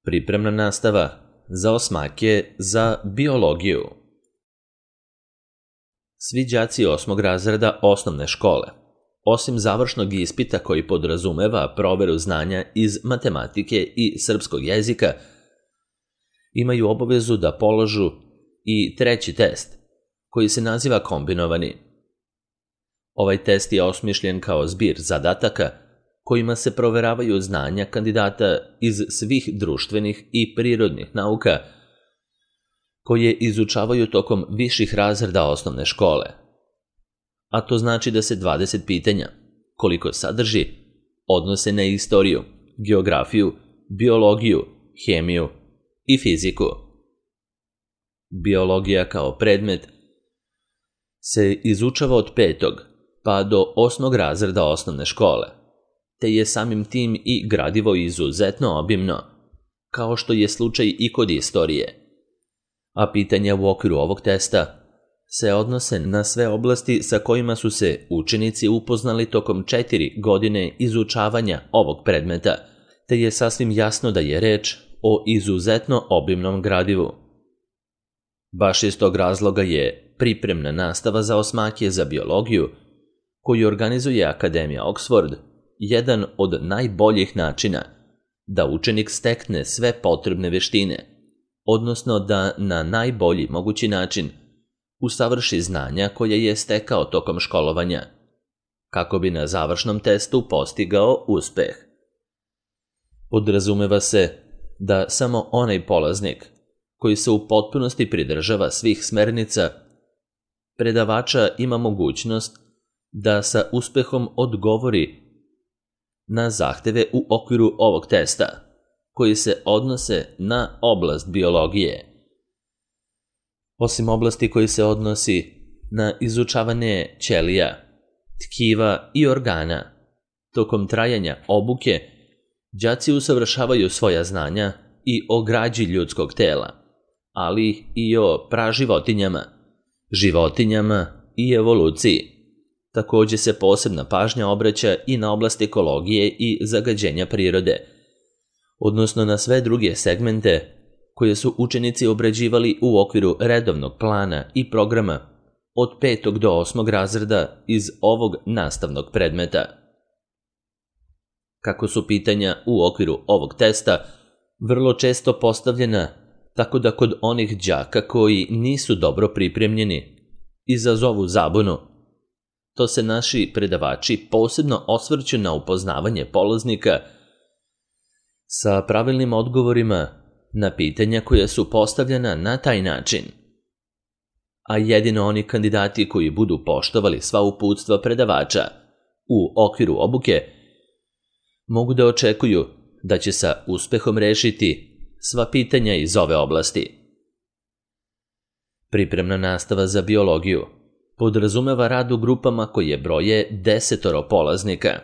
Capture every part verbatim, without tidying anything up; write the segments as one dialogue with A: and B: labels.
A: Pripremna nastava za osmake za biologiju. Svi đaci osmog razreda osnovne škole, osim završnog ispita koji podrazumeva proveru znanja iz matematike i srpskog jezika, imaju obavezu da polažu i treći test, koji se naziva kombinovani. Ovaj test je osmišljen kao zbir zadataka kojima se proveravaju znanja kandidata iz svih društvenih i prirodnih nauka koje izučavaju tokom viših razreda osnovne škole. A to znači da se dvadeset pitanja, koliko sadrži, odnose na istoriju, geografiju, biologiju, hemiju i fiziku. Biologija kao predmet se izučava od petog pa do osmog razreda osnovne škole, te je samim tim i gradivo izuzetno obimno, kao što je slučaj i kod istorije. A pitanja u okviru ovog testa se odnose na sve oblasti sa kojima su se učenici upoznali tokom četiri godine izučavanja ovog predmeta, te je sasvim jasno da je reč o izuzetno obimnom gradivu. Baš iz tog razloga je pripremna nastava za osmake za biologiju, koju organizuje Akademija Oxford, jedan od najboljih načina da učenik stekne sve potrebne veštine, odnosno da na najbolji mogući način usavrši znanja koje je stekao tokom školovanja, kako bi na završnom testu postigao uspeh. Podrazumeva se da samo onaj polaznik koji se u potpunosti pridržava svih smernica predavača ima mogućnost da sa uspehom odgovori na zahteve u okviru ovog testa, koji se odnose na oblast biologije. Osim oblasti koji se odnosi na izučavanje ćelija, tkiva i organa, tokom trajanja obuke, đaci usavršavaju svoja znanja i o građi ljudskog tela, ali i o praživotinjama, životinjama i evoluciji. Takođe se posebna pažnja obraća i na oblast ekologije i zagađenja prirode, odnosno na sve druge segmente koje su učenici obrađivali u okviru redovnog plana i programa od petog do osmog razreda iz ovog nastavnog predmeta. Kako su pitanja u okviru ovog testa vrlo često postavljena tako da kod onih đaka koji nisu dobro pripremljeni izazovu zabunu, to se naši predavači posebno osvrću na upoznavanje polaznika sa pravilnim odgovorima na pitanja koja su postavljena na taj način. A jedino oni kandidati koji budu poštovali sva uputstva predavača u okviru obuke mogu da očekuju da će sa uspehom rešiti sva pitanja iz ove oblasti. Pripremna nastava za biologiju podrazumeva rad u grupama koje broje desetoro polaznika,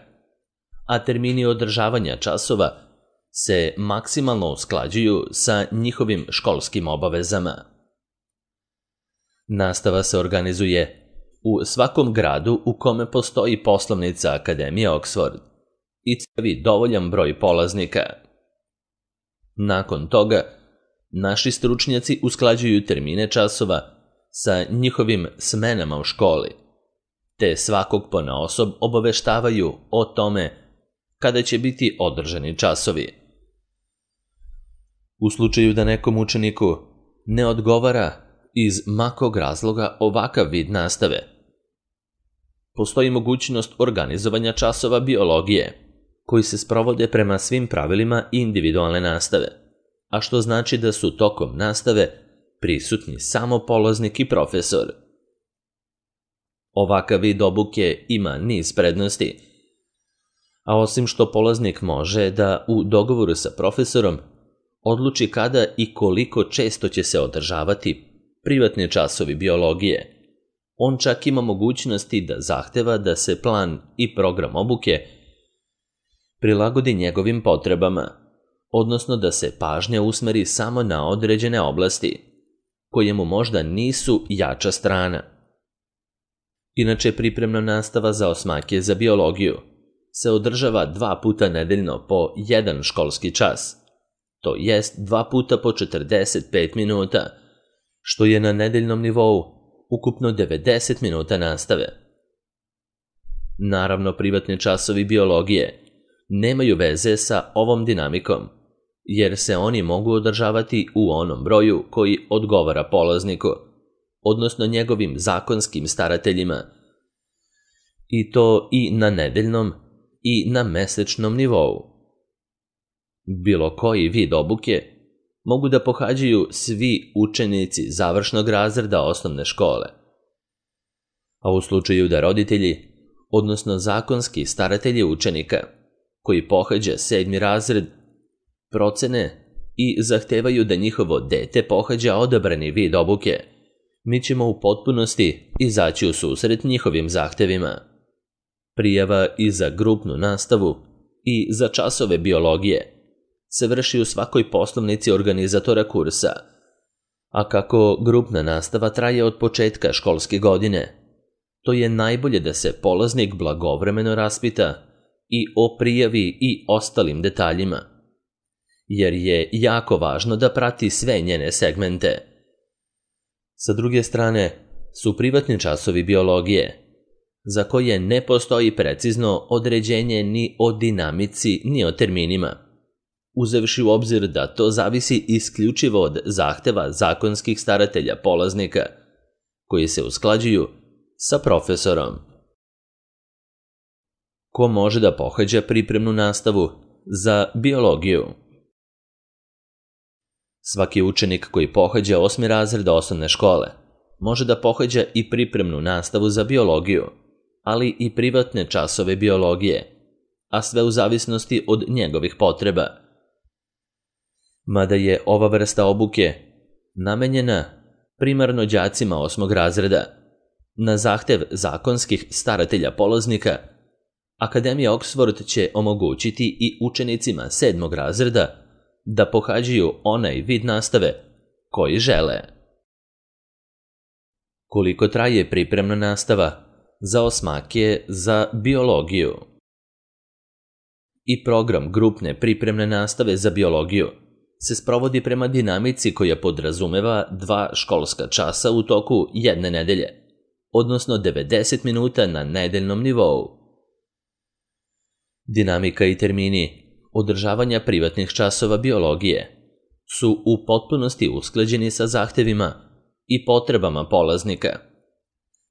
A: a termini održavanja časova se maksimalno usklađuju sa njihovim školskim obavezama. Nastava se organizuje u svakom gradu u kome postoji poslovnica Akademije Oxford i crpi dovoljan broj polaznika. Nakon toga, naši stručnjaci usklađuju termine časova sa njihovim smenama u školi, te svakog ponaosob obaveštavaju o tome kada će biti održani časovi. U slučaju da nekom učeniku ne odgovara iz makog razloga ovakav vid nastave, postoji mogućnost organizovanja časova biologije, koji se sprovode prema svim pravilima individualne nastave, a što znači da su tokom nastave prisutni samo polaznik i profesor. Ovakav vid obuke ima niz prednosti, a osim što polaznik može da u dogovoru sa profesorom odluči kada i koliko često će se održavati privatni časovi biologije, on čak ima mogućnosti da zahteva da se plan i program obuke prilagodi njegovim potrebama, odnosno da se pažnja usmeri samo na određene oblasti, koje mu možda nisu jača strana. Inače, pripremna nastava za osmake za biologiju se održava dva puta nedeljno po jedan školski čas, to jest dva puta po četrdeset pet minuta, što je na nedeljnom nivou ukupno devedeset minuta nastave. Naravno, privatni časovi biologije nemaju veze sa ovom dinamikom, jer se oni mogu održavati u onom broju koji odgovara polazniku, odnosno njegovim zakonskim starateljima, i to i na nedeljnom i na mesečnom nivou. Bilo koji vid obuke mogu da pohađaju svi učenici završnog razreda osnovne škole. A u slučaju da roditelji, odnosno zakonski staratelji učenika, koji pohađa sedmi razred, procene i zahtevaju da njihovo dete pohađa odabrani vid obuke, mi ćemo u potpunosti izaći u susret njihovim zahtevima. Prijava i za grupnu nastavu i za časove biologije se vrši u svakoj poslovnici organizatora kursa, a kako grupna nastava traje od početka školske godine, to je najbolje da se polaznik blagovremeno raspita i o prijavi i ostalim detaljima, jer je jako važno da prati sve njene segmente. Sa druge strane su privatni časovi biologije, za koje ne postoji precizno određenje ni o dinamici ni o terminima, uzevši u obzir da to zavisi isključivo od zahteva zakonskih staratelja polaznika, koji se usklađuju sa profesorom. Ko može da pohađa pripremnu nastavu za biologiju? Svaki učenik koji pohađa osmi razred osnovne škole može da pohađa i pripremnu nastavu za biologiju, ali i privatne časove biologije, a sve u zavisnosti od njegovih potreba. Mada je ova vrsta obuke namenjena primarno đacima osmog razreda, na zahtev zakonskih staratelja polaznika, Akademija Oxford će omogućiti i učenicima sedmog razreda da pohađaju onaj vid nastave koji žele. Koliko traje pripremna nastava za osmake za biologiju? I program grupne pripremne nastave za biologiju se sprovodi prema dinamici koja podrazumeva dva školska časa u toku jedne nedelje, odnosno devedeset minuta na nedeljnom nivou. Dinamika i termini održavanja privatnih časova biologije su u potpunosti usklađeni sa zahtevima i potrebama polaznika,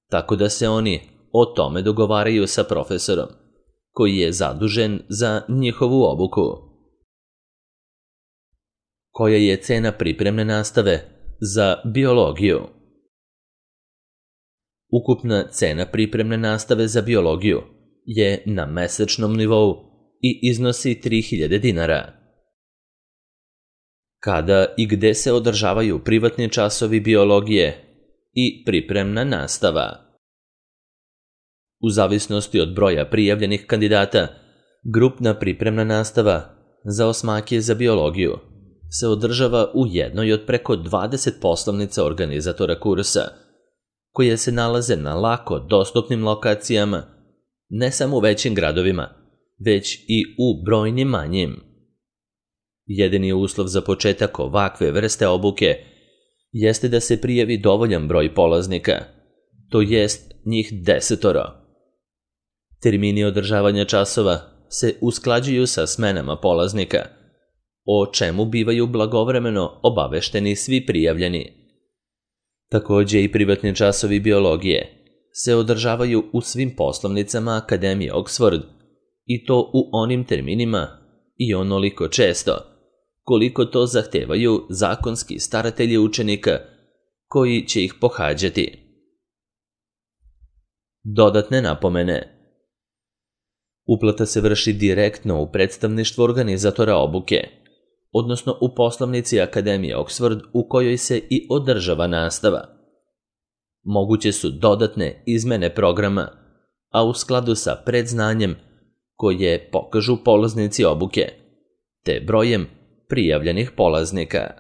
A: tako da se oni o tome dogovaraju sa profesorom, koji je zadužen za njihovu obuku. Koja je cena pripremne nastave za biologiju? Ukupna cena pripremne nastave za biologiju je na mesečnom nivou i iznosi tri hiljade dinara. Kada i gde se održavaju privatni časovi biologije i pripremna nastava? U zavisnosti od broja prijavljenih kandidata, grupna pripremna nastava za osmake za biologiju se održava u jednoj od preko dvadeset poslovnica organizatora kursa, koje se nalaze na lako dostupnim lokacijama, ne samo u većim gradovima, već i u brojnim manjim. Jedini uslov za početak ovakve vrste obuke jeste da se prijavi dovoljan broj polaznika, to jest njih desetoro. Termini održavanja časova se usklađuju sa smenama polaznika, o čemu bivaju blagovremeno obavešteni svi prijavljeni. Takođe i privatni časovi biologije se održavaju u svim poslovnicama Akademije Oxford, i to u onim terminima i onoliko često, koliko to zahtevaju zakonski staratelji učenika koji će ih pohađati. Dodatne napomene. Uplata se vrši direktno u predstavništvo organizatora obuke, odnosno u poslovnici Akademije Oxford u kojoj se i održava nastava. Moguće su dodatne izmene programa, a u skladu sa predznanjem koje pokažu polaznici obuke, te brojem prijavljenih polaznika.